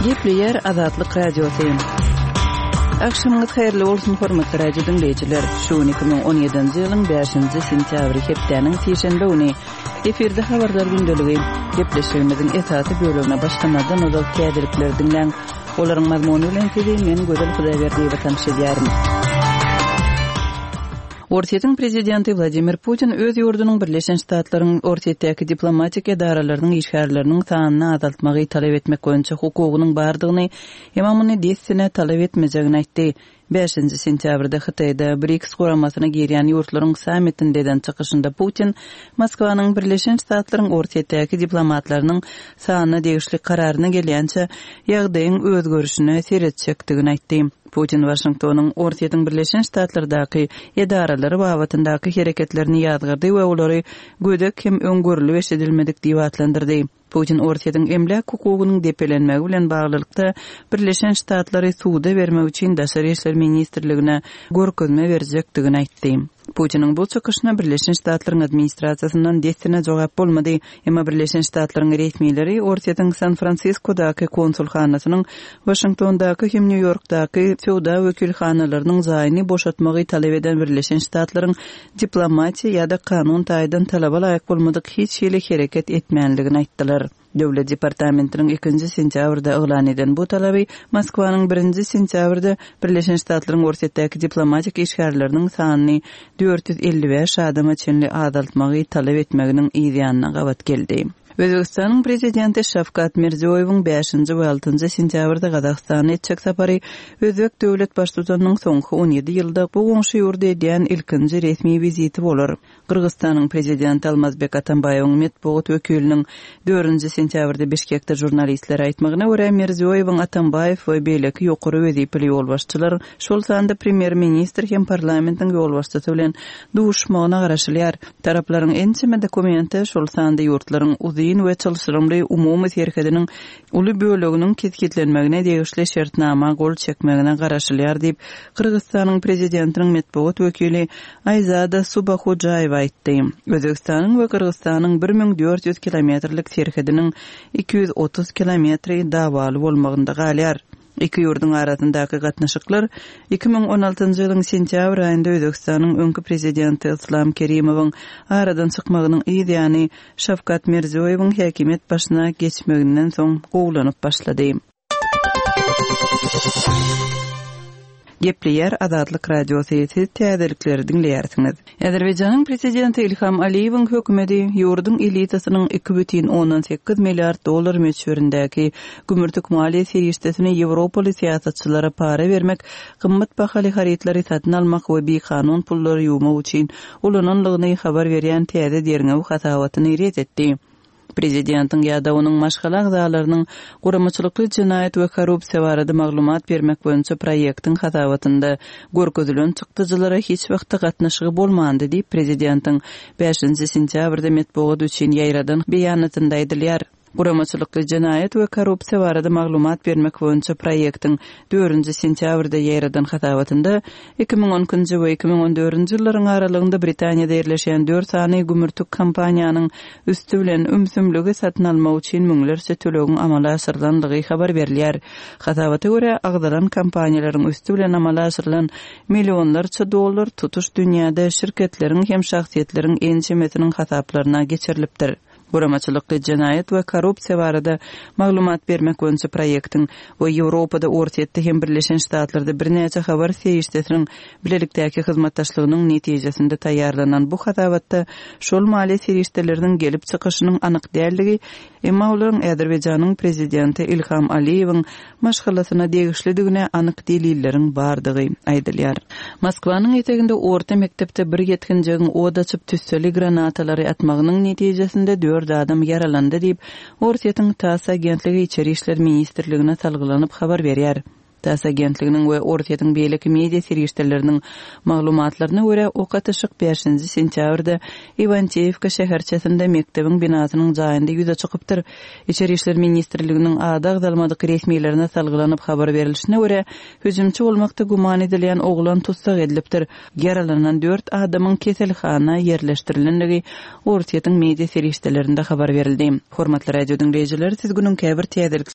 Gepleýär Azatlyk Radiosy. Agşamyňyz haýyrly bolsun, hormatly radio diňleýjiler! Şu gün 2017-nji ýylyň bäşinji sentýabry, hepdäniň sişenbe güni. Efirde habarlar gündeligi. Gepleşigimiziň esasy bölegine başlamazdan ozal täzelikleri diňläň. Olaryň mazmuny bilen sizi men Gözel Hudaýberdiýewa tanyş edýärin. Orsýetiň prezidenti Wladimir Putin öz ýurdunyň Birleşen Ştatlaryň Orsýetdäki diplomatik edaralarynyň işgärleriniň sanyny azaltmagy talap etmek boýunça hukugynyň bardygyny, emma muny dessine talap etmejegini aýtdy. Bäşinji sentýabrda Hytaýda BRICS guramasyna girýän ýurtlaryň sammitinde eden çykyşynda Putin Moskwanyň Birleşen Ştatlaryň Orsýetdäki diplomatlarynyň sanyna degişli kararyna gelýänçä ýagdaýyň özgerişine seretjekdigini aýtdy. Putin Waşingtonyň Orsýetiň Birleşen Ştatlardaky edaralary babatyndaky hereketlerini ýazgardy we olary gödek hem öň görlüp-eşidilmedik diýip atlandyrdy. Putin Orsýetiň emläk hukugynyň depelenmegi bilen baglylykda Birleşen Ştatlary suda bermek üçin Daşary işler ministrligine görkezme berjekdigini aýtdy. Putiniň bu çykyşyna Birleşen Ştatlaryň administrasiýasyndan dessine jogap bolmady. Emma Birleşen Ştatlaryň resmileri Orsýetiň San-Fransiskodaky konsulhanasynyň Waşingtondaky hem Nýu-Ýorkdaky söwda wekilhanalarynyň jaýyny boşatmagy talap eden Birleşen Ştatlaryň diplomatiýa ýa-da kanun taýdan talaba laýyk bolmadyk hiç hili hereket etmänligini aýtdylar. Döwlet departamentiniň ikinji sentýabrda yglan eden bu talaby Moskwanyň birinji sentýabrda Birleşen Ştatlaryň Orsýetdäki diplomatik işgärleriniň sanyny 455 adama çenli azaltmagy talap etmeginiň yzýanyna gabat geldi. Özbegistanyň Prezidenti Şawkat Mirziýoýewiň bäşinji we altynjy sentýabrda Gazagystana etjek sapary özbek döwlet Baştutanynyň soňky on ýedi ýylda bu goňşy ýurda edýän ilkinji resmi wiziti bolar. Gyrgyzystanyň Prezidenti Almazbek Atambaýewiň metbugat wekiliniň dördünji sentýabrda Bişkekde žurnalistlere aýtmagyna görä, Mirziýoýewiň Atambaýew we beýleki ýokary wezipeli ýolbaşçylar, şol sanda premýer-ministr hem parlamentiň ýolbaşçysy bilen duşmagyna garaşylýar. Taraplaryň ençeme dokumente, şol sanda ýurtlaryň uzyn we çylşyrymly umumy serhediniň uly böleginiň kesgitlenmegine degişli şertnama gol çekmegine garaşylýar diýip, Gyrgyzystanyň Prezidentiniň metbugat wekili Aýzada Subahojaýewa aýtdy. Özbegistanyň we Gyrgyzystanyň 1400 kilometrlik serhediniň 230 kilometri dawaly bolmagynda galýar. Iki ýurduň arasyndaky gatnaşyklar 2016-njy ýylyň sentýabr aýynda Özbegistanyň öňki prezidenti Yslam Kerimowyň aradan çykmagynyň yz ýany Şawkat Mirziýoýewiň häkimiýet başyna geçmeginden soň gowulanyp başlady. Gepleýär Azatlyk Radiosy, siz täzelikleri diňleýärsiňiz. Azerbaýjanyň prezidenti Ilham Aliýewiň hökümeti ýurduň elitasynyň 2,8 milliard dollar möçberindäki gümürtik maliýe serişdesini ýewropaly syýasatçylara para bermek, gymmat bahaly harytlary satyn almak we bikanun pullary ýuwmak üçin ulananlygyny habar berýän täze derňew hasabatyny ret etdi. Prezidentiň ýa-da onuň maşgala agzalarynyň guramaçylykly jenaýat we korrupsiýa barada maglumat bermek boýunça proýektiň hasabatynda görkezilen çykdajylara hiç wagtda gatnaşygy bolmandy diýip, prezidentiň bäşinji sentýabrda metbugat üçin ýaýradan beýanatynda aýdylýar. Guramaçylykly jenaýat we korrupsiýa barada maglumat bermek boýunça proýektiň dördünji sentýabrda ýaýradan hasabatynda 2012-nji we 2014-nji ýyllaryň aralygynda Britaniýada ýerleşýän dört sany gümürtik kompaniýanyň üsti bilen ümsümligi satyn almak üçin müňlerçe tölegiň amala aşyrylandygy habar berilýär. Hasabata görä, agzalan kompaniýalaryň üsti bilen amala aşyrylan millionlarça dollar tutuş dünýäde şirketleriň hem şahsyýetleriň ençemesiniň hasaplaryna geçirilipdir. Guramaçylykly jenaýat we korrupsiýa barada maglumat bermek boýunça proýektiň we Ýewropada, Orsýetde hem Birleşen Ştatlarda birnäçe habar serişdesiniň bilelikdäki hyzmatdaşlygynyň netijesinde taýýarlanan bu hasabatda şol maliýe serişdeleriniň gelip çykyşynyň anyk däldigi, emma olaryň Azerbaýjanyň prezidenti Ilham Aliýewiň maşgalasyna degişlidigine anyk delilleriň bardygy aýdylýar. Moskwanyň eteginde orta mekdepde bir ýetginjegiň ot açyp tüsseli granatalary atmagynyň netijesinde dört adam ýaralandy diýip, Orsýetiň TASS agentligi Içeri işler ministrligine salgylanyp habar berýär. TASS agentliginiň we Orsýetiň beýleki media serişdeleriniň maglumatlaryna görä, ok atyşyk bäşinji sentýabrda Iwanteýewka şäherçesinde mekdebiň binasynyň jaýynda ýüze çykypdyr. Içeri işler ministrliginiň ady agzalmadyk resmilerine salgylanyp habar berlişine görä, hüjümçi bolmakda güman edilýän oglan tussag edilipdir. Ýaralanan dört adamyň keselhana ýerleşdirilendigi Orsýetiň media serişdelerinde habar berildi. Hormatly radio diňleýjiler, siz günüň käbir täzelik.